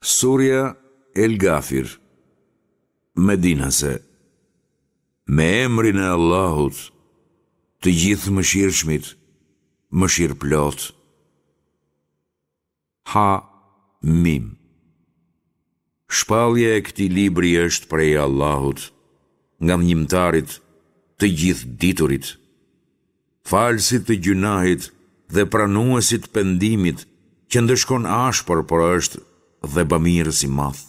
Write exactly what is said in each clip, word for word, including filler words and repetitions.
Surja El Gafir, Medinase, Me emrin e Allahut, të Gjithëmëshirshmit, Mëshirëplotë. Ha Mim. Shpallja e këtij libri është prej Allahut, Ngadhënjimtarit, të Gjithëditurit, Falësit të gjynahit dhe Pranuesit të pendimit, që ndëshkon ashpër por është dhe bamirës i madh.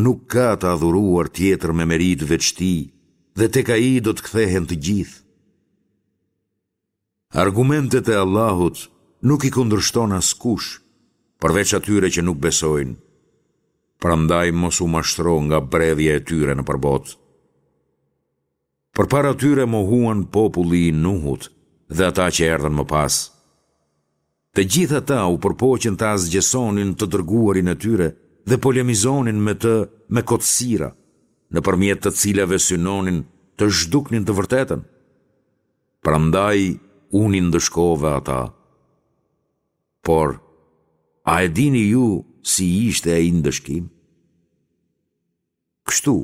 Nuk ka të adhuruar tjetër me meritë veç Tij dhe tek Ai do të kthehen të gjithë. Argumentet e Allahut nuk i kundërshton askush, përveç atyre që nuk besojnë. Prandaj mos u mashtro nga bredhja e tyre nëpër botë. Përpara tyre mohuan populli i Nuhut dhe ata që erdhën më pas. Të gjithë ata u përpoqën të asgjësonin të dërguarin e tyre dhe polemizonin me të me kotësira, nëpërmjet të cilave synonin të zhduknin të vërtetën. Prandaj unë i ndëshkova ata. Por, a e dini ju si ishte ai ndëshkim? Kështu,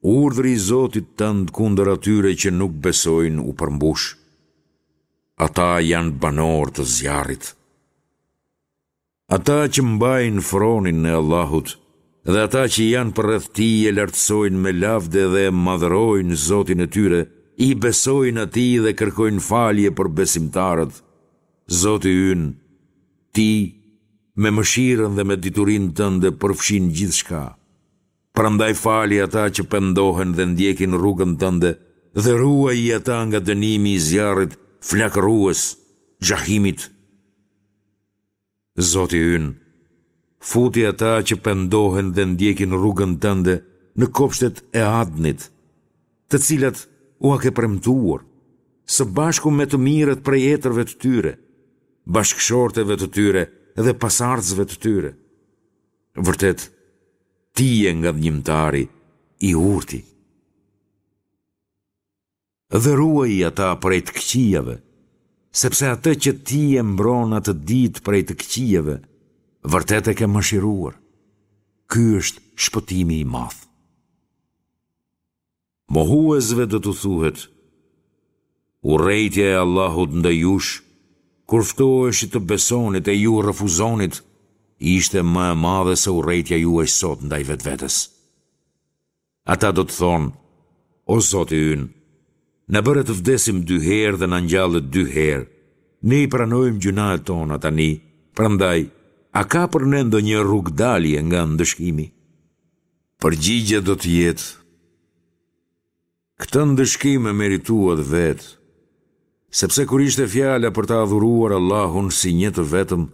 urdhri i Zotit tënd kundër atyre që nuk besojnë u përmbush. Ata janë banorë të zjarrit. Ata që mbajnë fronin e Allahut dhe ata që janë përreth tij e lartësojnë me lavde dhe e madhërojnë Zotin e tyre, i besojnë Atij dhe kërkojnë falje për besimtarët. Zoti ynë, Ti, me mëshirën dhe me diturinë tënde përfshin gjithçka. Prandaj fali ata që pendohen dhe ndjekin rrugën tënde dhe ruaji ata nga dënimi i zjarrit flakërues, Xhahimit. Zoti ynë, futi ata që pendohen dhe ndjekin rrugën tënde në kopshtet e Adnit, të cilat ua ke premtuar, së bashku me të mirët prej etërve të tyre, bashkëshorteve të tyre dhe pasardhësve të tyre. Vërtet, ti je ngadhënjimtari i urti. Dhe ruaji ata prej të këqijave, sepse atë që ti e mbron atë ditë prej të këqijave, vërtet e ke mëshiruar. Ky është shpëtimi i madh. Mohuesve do t'u thuhet, Urrejtja e Allahut ndaj jush, kur ftoheshit të besonit e ju refuzonit, ishte më e madhe se urrejtja juaj sot ndaj vetvetes. Ata do të thonë, O Zoti ynë, na bëre të vdesim dy herë dhe na ngjalle dy herë, ne i pranojmë gjynahet tona tani, prandaj, a ka për ne ndonjë rrugëdalje nga ndëshkimi? Përgjigja do të jetë, Këtë ndëshkim e merituat vetë, sepse kur ishte fjala për ta adhuruar Allahun si një të vetëm,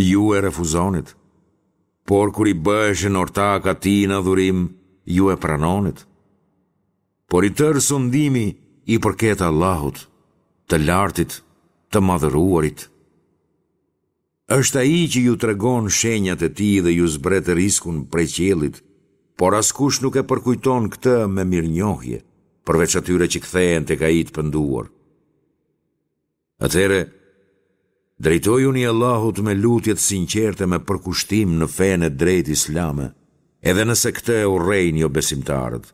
ju e refuzonit. Por kur i bëheshin ortakë atij në adhurim, ju e pranonit. Por i tërë sundimi i përket Allahut, të Lartit, të Madhëruarit. Është Ai që ju tregon shenjat e Tij dhe ju zbret riskun prej qiellit, por askush nuk e përkujton këtë me mirënjohje, përveç atyre që kthehen tek Ai të penduar. Atëherë, drejtojuni Allahut me lutje të sinqerte me përkushtim në fenë e drejtë islame, edhe nëse këtë e urrejnë jobesimtarët.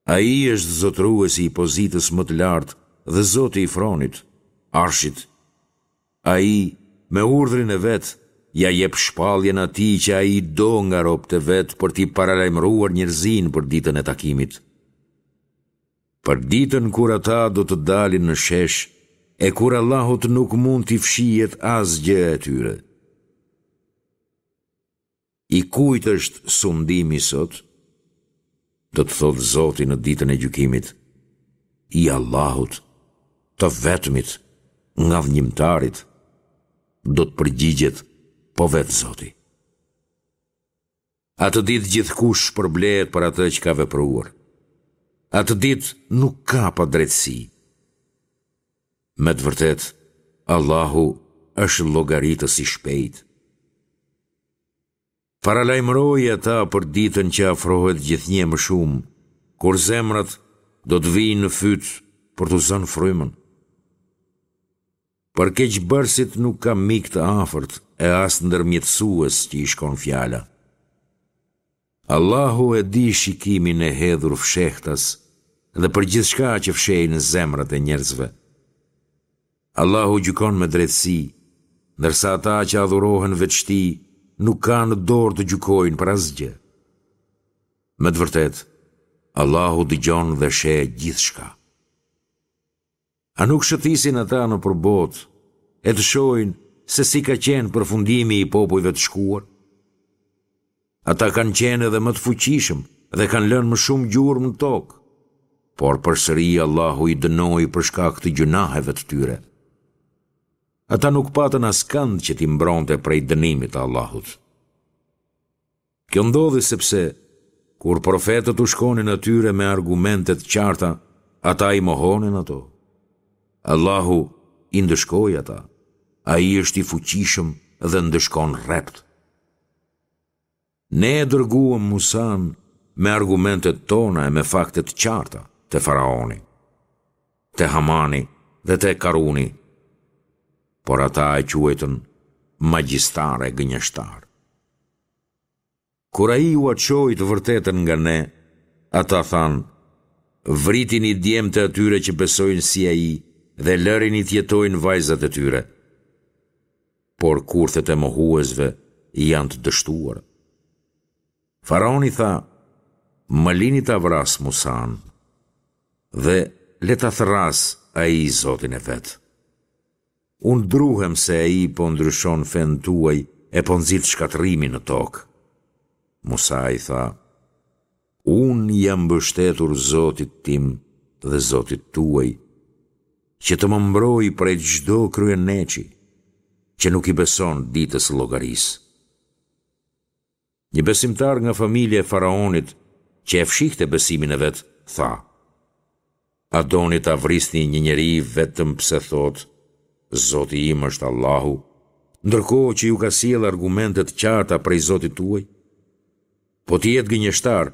Ai është zotëruesi i pozitës më të lartë dhe Zoti i fronit, Arshit. Ai, me urdhrin e vet, ia jep shpalljen atij që ai do nga robët e vet për t'i paralajmëruar njerëzinë për ditën e takimit. Për ditën kur ata do të dalin në shesh e kur Allahut nuk mund t'i fshihet asgjë e tyre. I kujt është sundimi sot? Do të thotë Zoti në ditën e gjykimit, I Allahut, të vetmit, ngadhënjimtarit, do të përgjigjet po vetë Zoti. Atë ditë gjithkush shpërblehet për atë që ka vepruar. Atë ditë nuk ka padrejtësi. Me të vërtetë, Allahu është llogaritës i shpejtë. Paralajmëroji ata për ditën që afrohet gjithnjë e më shumë, kur zemrat do të vijnë në fyt për t'u zënë frymën. Për keqbërësit nuk ka mik të afërt e as ndërmjetësues që i shkon fjala. Allahu e di shikimin e hedhur fshehtas dhe për gjithçka që fshehin zemrat e njerëzve. Allahu gjykon me drejtësi, ndërsa ata që adhurohen veç tij nuk kanë në dorë të gjykojnë për asgjë. Me të vërtetë, Allahu dëgjon dhe sheh gjithçka. A nuk shëtisin ata nëpër botë e të shohin se si ka qenë përfundimi i popujve të shkuar? Ata kanë qenë edhe më të fuqishëm dhe kanë lënë më shumë gjurmë në tokë, por përsëri Allahu i dënoi për shkak të gjynaheve të tyre. Ata nuk patën askënd që t'i mbronte prej dënimit të Allahut. Kjo ndodhi sepse, kur profetët u shkonin atyre me argumente të qarta, ata i mohonin ato. Allahu i ndëshkoi ata. Ai është i fuqishëm dhe ndëshkon rreptë. Ne e dërguam Musanë me argumentet tona e me fakte të qarta te faraoni, te Hamani dhe te Karuni, por ata e quajtën magjistar e gënjeshtar. Kur ai ua çoi të vërtetën nga ne, ata thanë, Vritini djemtë e atyre që besojnë si ai dhe lërini të jetojnë vajzat e tyre. Por kurthet e mohuesve janë të dështuara. Faraoni tha, Më lini ta vras Musanë dhe le ta thërrasë ai Zotin e vet. Unë druhem se ai po ndryshon fenë tuaj e po nxit shkatërrimin në tokë. Musai tha, Unë i jam mbështetur Zotit tim dhe Zotit tuaj, që të më mbrojë prej çdo kryeneçi, që nuk i beson ditës së llogarisë. Një besimtar nga familja e faraonit që e fshihte besimin e vet, tha, A doni ta vrisni një njeri vetëm pse thotë, Zoti im është Allahu, ndërkohë që ju ka sjellë argumente të qarta prej Zotit tuaj? Po të jetë gënjeshtar,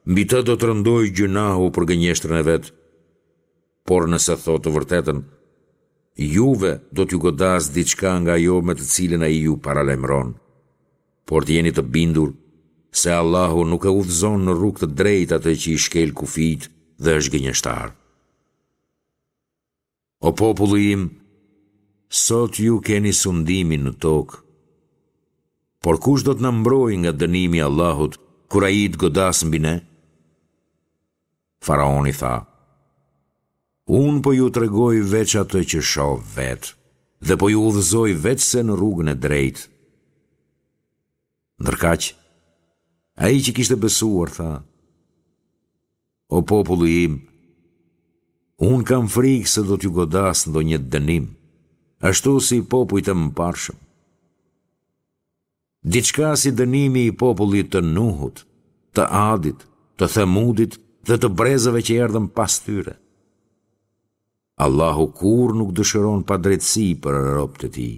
mbi të do të rëndojë gjynahu për gënjeshtrën e vet. Por nëse thotë të vërtetën, juve do t'ju godasë diçka nga ajo me të cilën ai ju paralajmëron. Por të jeni të bindur se Allahu nuk e udhëzon në rrugë të drejtë atë që i shkel kufijtë dhe është gënjeshtar. O populli im, sot ju keni sundimin në tokë. Por kush do të na mbrojë nga dënimi i Allahut kur ai të godasë mbi ne? Faraoni tha, Unë po ju tregoj veç atë që shoh vetë dhe po ju udhëzoj veçse në rrugën e drejtë. Ndërkaq, ai që kishte besuar tha, O populli im, unë kam frikë se do t'ju godasë ndonjë dënim, ashtu si popujt e mëparshëm. Diçka si dënimi i popullit të Nuhut, të Adit, të Themudit dhe të brezave që erdhën pas tyre. Allahu kurrë nuk dëshiron padrejtësi për robët e tij.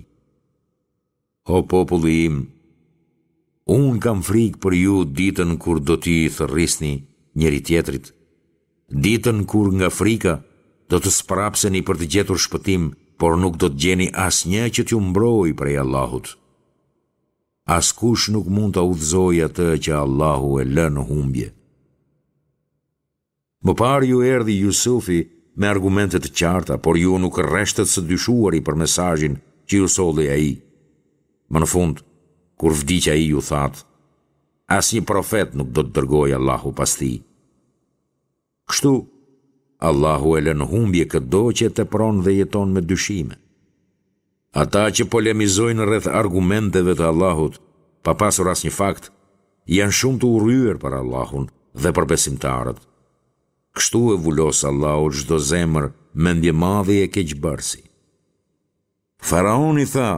O populli im, unë kam frikë për ju ditën kur do t'i thërrisni njëri-tjetrit, ditën kur nga frika do të sprapseni për të gjetur shpëtim, por nuk do të gjeni asnjë që t'ju mbrojë prej Allahut. Askush nuk mund ta udhëzojë atë që Allahu e lë në humbje. Më parë ju erdhi Jusufi me argumente të qarta, por ju nuk rreshtët së dyshuari për mesazhin që ju solli ai. Më në fund, kur vdiq ai ju thatë, asnjë profet nuk do të dërgojë Allahu pas tij. Kështu, Allahu e lë në humbje këdo që e tepron dhe jeton me dyshime. Ata që polemizojnë rreth argumenteve të Allahut, pa pasur asnjë fakt, janë shumë të urryer për Allahun dhe për besimtarët. Kështu e vulos Allahu çdo zemër mendjemadhi e keqbërësi. Faraoni tha,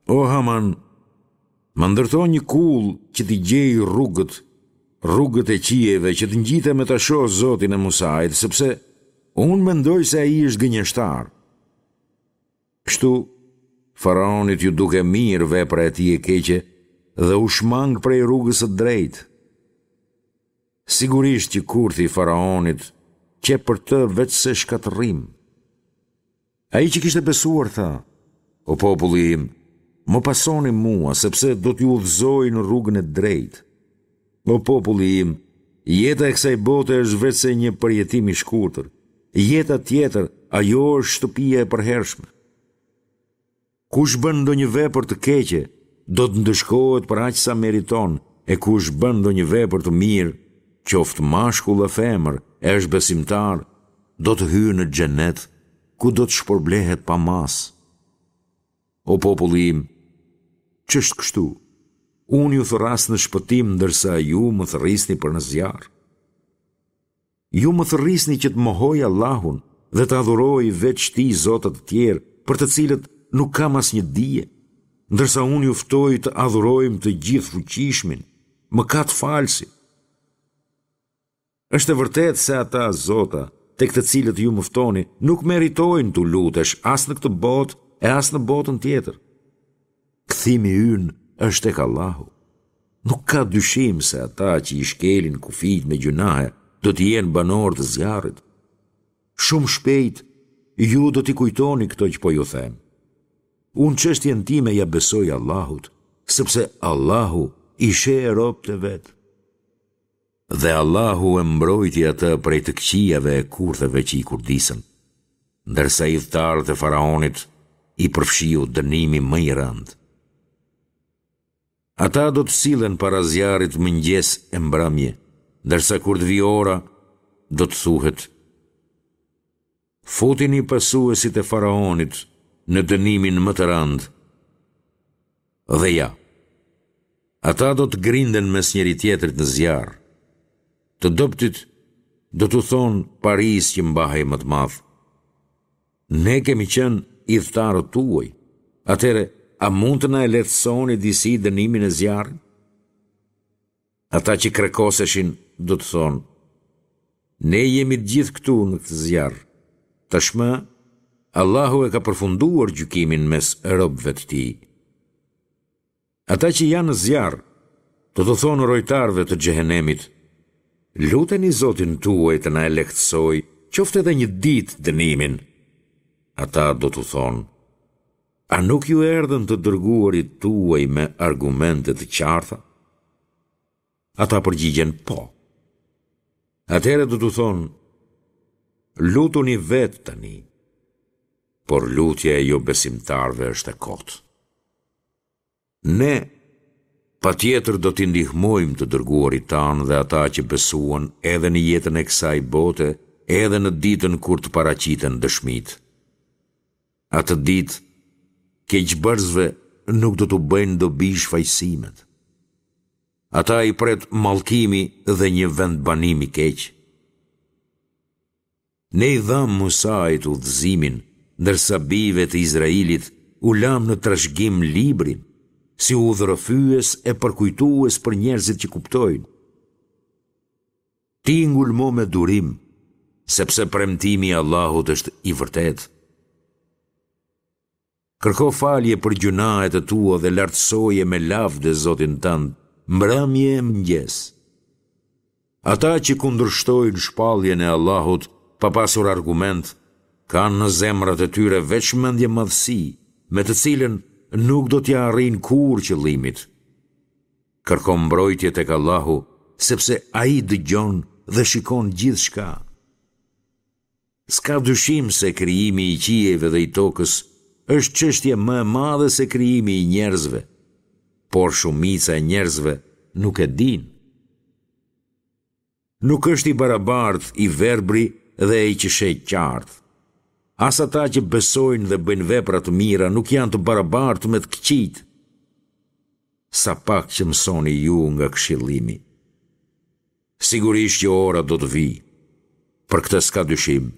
O Haman, më ndërto një kullë që t'i gjej rrugët, rrugët e qiejve që të ngjitem e ta shoh Zotin e Musait, sepse unë mendoj se ai është gënjeshtar. Kështu, faraonit iu duk e mirë vepra e tij e keqe dhe u shmang prej rrugës së drejtë. Sigurisht që kurthi i faraonit qe për të veçse shkatërrim. Ai që kishte besuar tha, O populli im, më pasoni mua, sepse do t'ju udhëzoj në rrugën e drejtë. O populli im, jeta e kësaj bote është veçse një përjetim i shkurtër. Jeta tjetër, ajo është shtëpia e përhershme. Kush bën ndonjë vepër të keqe, do të ndëshkohet për aq sa meriton, e kush bën ndonjë vepër të mirë, qoftë mashkull a femër, e është besimtar, do të hyjë në xhenet, ku do të shpërblehet pa masë. O populli im, ç'është kështu? Unë ju thërras në shpëtim ndërsa ju më thërrisni për në zjarr. Ju më thërrisni që të mohoj Allahun dhe të adhuroj veç tij zota të tjerë, për të cilët nuk kam asnjë dije, ndërsa unë ju ftoj të adhurojmë të Gjithëfuqishmin, Mëkatfalësin. Është e vërtetë se ata zota, tek të cilët ju më ftoni, nuk meritojnë t'u lutesh as në këtë botë e as në botën tjetër. Kthimi ynë është tek Allahu. Nuk ka dyshim se ata që i shkelin kufijtë me gjynahe do të jenë banorë të zjarrit. Shumë shpejt ju do t'i kujtoni këto që po ju them. Unë çështjen time ia besoj Allahut, sepse Allahu i sheh robët e vet. Dhe Allahu e mbrojti atë prej të këqijave e kurtheve që i kurdisën, ndërsa ithtarët e faraonit i përfshiu dënimi më i rëndë. Ata do të sillen para zjarrit mëngjes e mbrëmje, ndërsa kur të vijë ora, do të thuhet: Futini pasuesit e faraonit në dënimin më të rëndë. Dhe ja, ata do të grinden mes njëri-tjetrit në zjarr. Të dobëtit do t'u thonë parisë që mbahej më të madh. Ne kemi qenë ithtarët tuaj, atëherë a mund të na e lehtësoni disi dënimin e zjarrit? Ata që krekoseshin do të thonë, Ne jemi të gjithë këtu në këtë zjarr. Tashmë, Allahu e ka përfunduar gjykimin mes robëve të Tij. Ata që janë në zjarr, do t'u thonë rojtarëve të xhehenemit, Luteni Zotin tuaj të na e lehtësojë qoftë edhe një ditë dënimin. Ata do t'u thonë, A nuk ju erdhën të dërguarit tuaj me argumente të qarta? Ata përgjigjen po. Atëherë do t'u thonë, lutuni vetë tani, por lutja e jobesimtarëve është e kotë. Ne, patjetër do t'i ndihmojmë të dërguarit tanë dhe ata që besuan edhe në jetën e kësaj bote, edhe në ditën kur të paraqiten dëshmitë. Atë ditë, keqbërësve nuk do t'u bëjnë dobi shfajësimet. Ata i pret mallkimi dhe një vendbanim i keq. Ne i dhamë Musait udhëzimin, ndërsa bijve të Izraelit u lamë në trashëgim librin, si udhërrëfyes e përkujtues për njerëzit që kuptojnë. Ti ngulmo me durim, sepse premtimi i Allahut është i vërtetë. Kërko falje për gjynahet e tua dhe lartësoje me lavde Zotin tënd, mbrëmje e mëngjes. Ata që kundërshtojnë shpalljen e Allahut pa pasur argument, kanë në zemrat e tyre veç mendjemadhësi, me të cilën nuk do t'ia arrijnë kurrë qëllimit. Kërko mbrojtje tek Allahu, sepse Ai dëgjon dhe shikon gjithçka. S'ka dyshim se krijimi i qiejve dhe i tokës është çështje më e madhe se krijimi i njerëzve, por shumica e njerëzve nuk e dinë. Nuk është i barabartë i verbri dhe ai që sheh qartë. As ata që besojnë dhe bëjnë vepra të mira nuk janë të barabartë me të këqijtë. Sa pak që mësoni ju nga këshillimi. Sigurisht që ora do të vijë. Për këtë s'ka dyshim.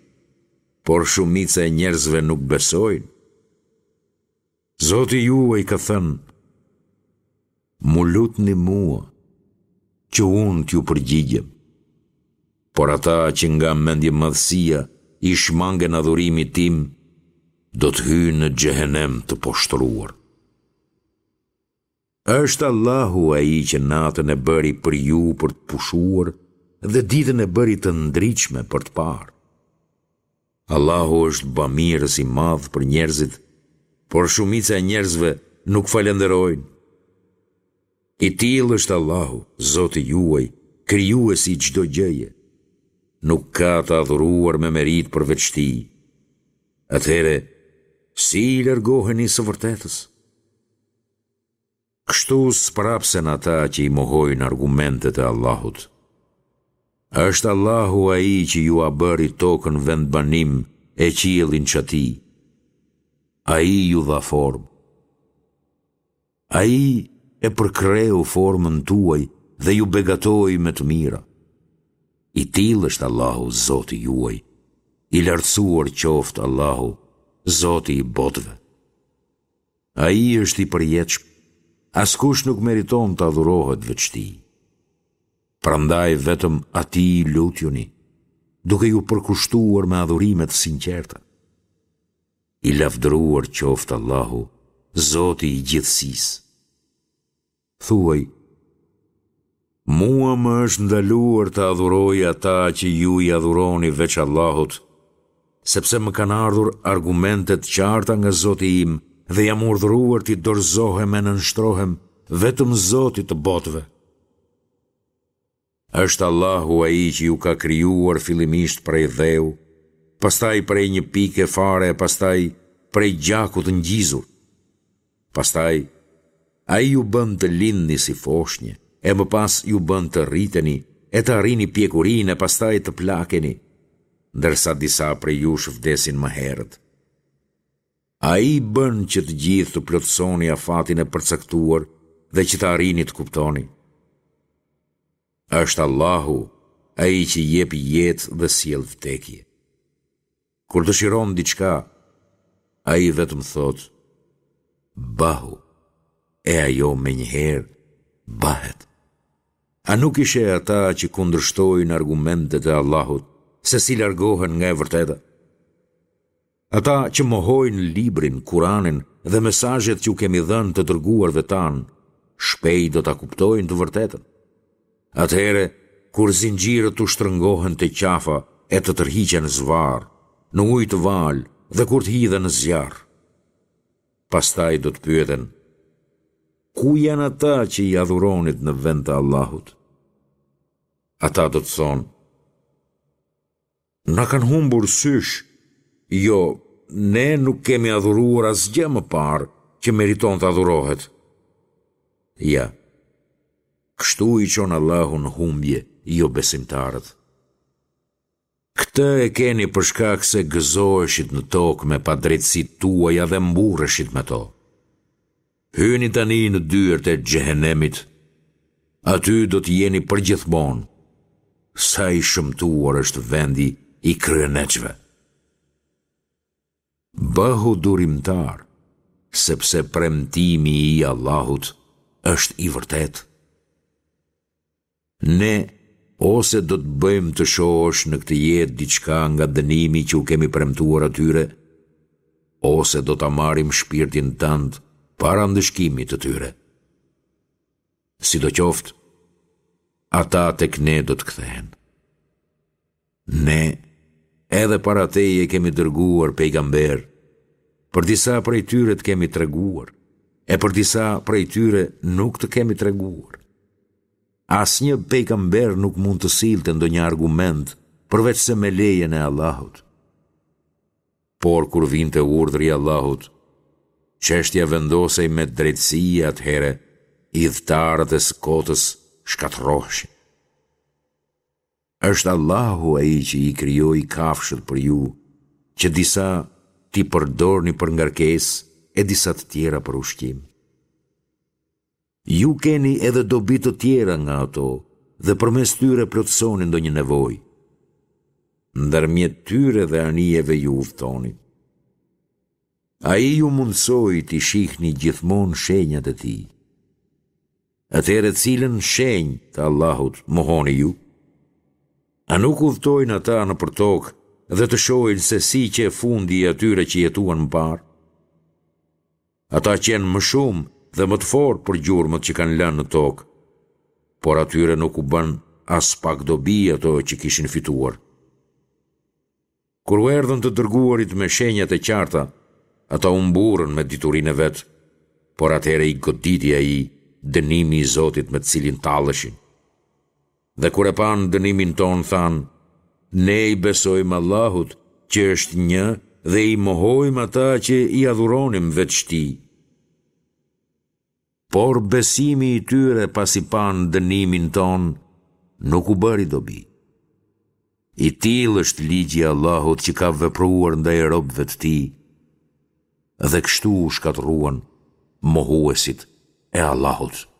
Por shumica e njerëzve nuk besojnë. Zoti juaj ka thënë, M'u lutni mua, që unë t'ju përgjigjem. Por ata që nga mendjemadhësia i shmangen adhurimit tim, do të hyjnë në xhehenem të poshtëruar. Është Allahu ai që natën e bëri për ju për të pushuar dhe ditën e bëri të ndritshme për të parë. Allahu është bamirës i madh për njerëzit, Por shumica e njerëzve nuk falënderojnë. I tillë është Allahu, Zoti juaj, Krijuesi i çdo gjëje. Nuk ka të adhuruar me meritë përveç Tij. Atëherë, si i largoheni së vërtetës? Kështu sprapsen ata që i mohojnë argumentet e Allahut. Është Allahu ai që jua bëri tokën vendbanim e qiellin çati. Ai ju dha formë. Ai e përkreu formën tuaj dhe ju begatoi me të mira. I tillë është Allahu, Zoti juaj, i lartësuar qoftë Allahu, Zoti i botëve. Ai është i përjetshëm, askush nuk meriton të adhurohet veç Tij. Prandaj vetëm Atij lutjuni, duke iu përkushtuar me adhurime të sinqerta. I lavdëruar qoftë Allahu, Zoti i gjithësisë. Thuaj, Mua më është ndaluar të adhuroj ata që ju i adhuroni veç Allahut, sepse më kanë ardhur argumente të qarta nga Zoti im dhe jam urdhëruar t'i dorëzohem e nënshtrohem vetëm Zotit të botëve. Është Allahu ai që ju ka krijuar fillimisht prej dheu, pastaj prej një pike fare e pastaj prej gjaku të ngjizur. Pastaj, Ai ju bën të lindni si foshnje, e më pas ju bën të rriteni e të arrini pjekurinë e pastaj të plakeni, ndërsa disa prej jush vdesin më herët. Ai bën që të gjithë të plotësoni afatin e përcaktuar dhe që të arrini të kuptoni. Është Allahu ai që jep jetë dhe sjell vdekje. Kur dëshiron diçka, ai vetëm thotë, Bëhu, e ajo menjëherë bëhet. A nuk i sheh ata që kundërshtojnë argumentet e Allahut, se si largohen nga e vërteta? Ata që mohojnë Librin, Kuranin dhe mesazhet që u kemi dhënë të dërguarve tanë, shpejt do ta kuptojnë të vërtetën. Atëherë, kur zinxhirët t'u shtrëngohen te qafa e të tërhiqen zvarrë, në ujë të valë dhe kur të hidhen në zjarr. Pastaj do të pyeten, Ku janë ata që i adhuronit në vend të Allahut? Ata do të thonë, Na kanë humbur sysh, jo, ne nuk kemi adhuruar asgjë më parë që meriton të adhurohet. Ja, kështu i çon Allahu në humbje jobesimtarët. Këtë e keni për shkak se gëzoheshit në tokë me padrejtësitë tuaja dhe mburreshit me to. Hyni tani në dyert e Xhehenemit, aty do të jeni përgjithmonë, sa i shëmtuar është vendi i kryeneçëve. Bëhu durimtar, sepse premtimi i Allahut është i vërtetë. Ne ose do të bëjmë të shohësh në këtë jetë diçka nga dënimi që u kemi premtuar atyre, ose do ta marrim shpirtin tënd para ndëshkimit të tyre. Sidoqoftë, ata tek ne do të kthehen. Ne, edhe para teje kemi dërguar pejgamberë, për disa prej tyre të kemi treguar, e për disa prej tyre nuk të kemi treguar. Asnjë pejgamber nuk mund të sillte ndonjë argument përveçse me lejen e Allahut. Por kur vinte urdhri i Allahut, çështja vendosej me drejtësi e atëherë ithtarët e së kotës shkatërroheshin. Është Allahu ai që i krijoi kafshët për ju, që disa t'i përdorni për ngarkesë e disa të tjera për ushqim. Ju keni edhe dobi të tjera nga ato dhe përmes tyre plotësoni ndonjë nevojë. Ndërmjet tyre dhe anijeve ju udhëtoni. Ai ju mundësoi t'i shihni gjithmonë shenjat e tij. Atëherë cilën shenjë të Allahut mohoni ju? A nuk udhëtojnë ata nëpër tokë dhe të shohin se si qe fundi i atyre që jetuan më parë? Ata qenë më shumë dhe më të fortë për gjurmët që kanë lënë në tokë, por atyre nuk u bënë aspak dobi ato që kishin fituar. Kur u erdhën të dërguarit me shenjat e qarta, Ata u mburrën me diturinë e vet, por atëherë i goditi ai dënimi i Zotit me të cilin talleshin. Dhe kur e panë dënimin tonë thanë, Ne i besojmë Allahut, që është një dhe i mohojmë ata që i adhuronim veç Tij. Por besimi i tyre pasi panë dënimin tonë nuk u bëri dobi. I tillë është ligji i Allahut që ka vepruar ndaj robëve të Tij, dhe kështu u shkatërruan mohuesit e Allahut.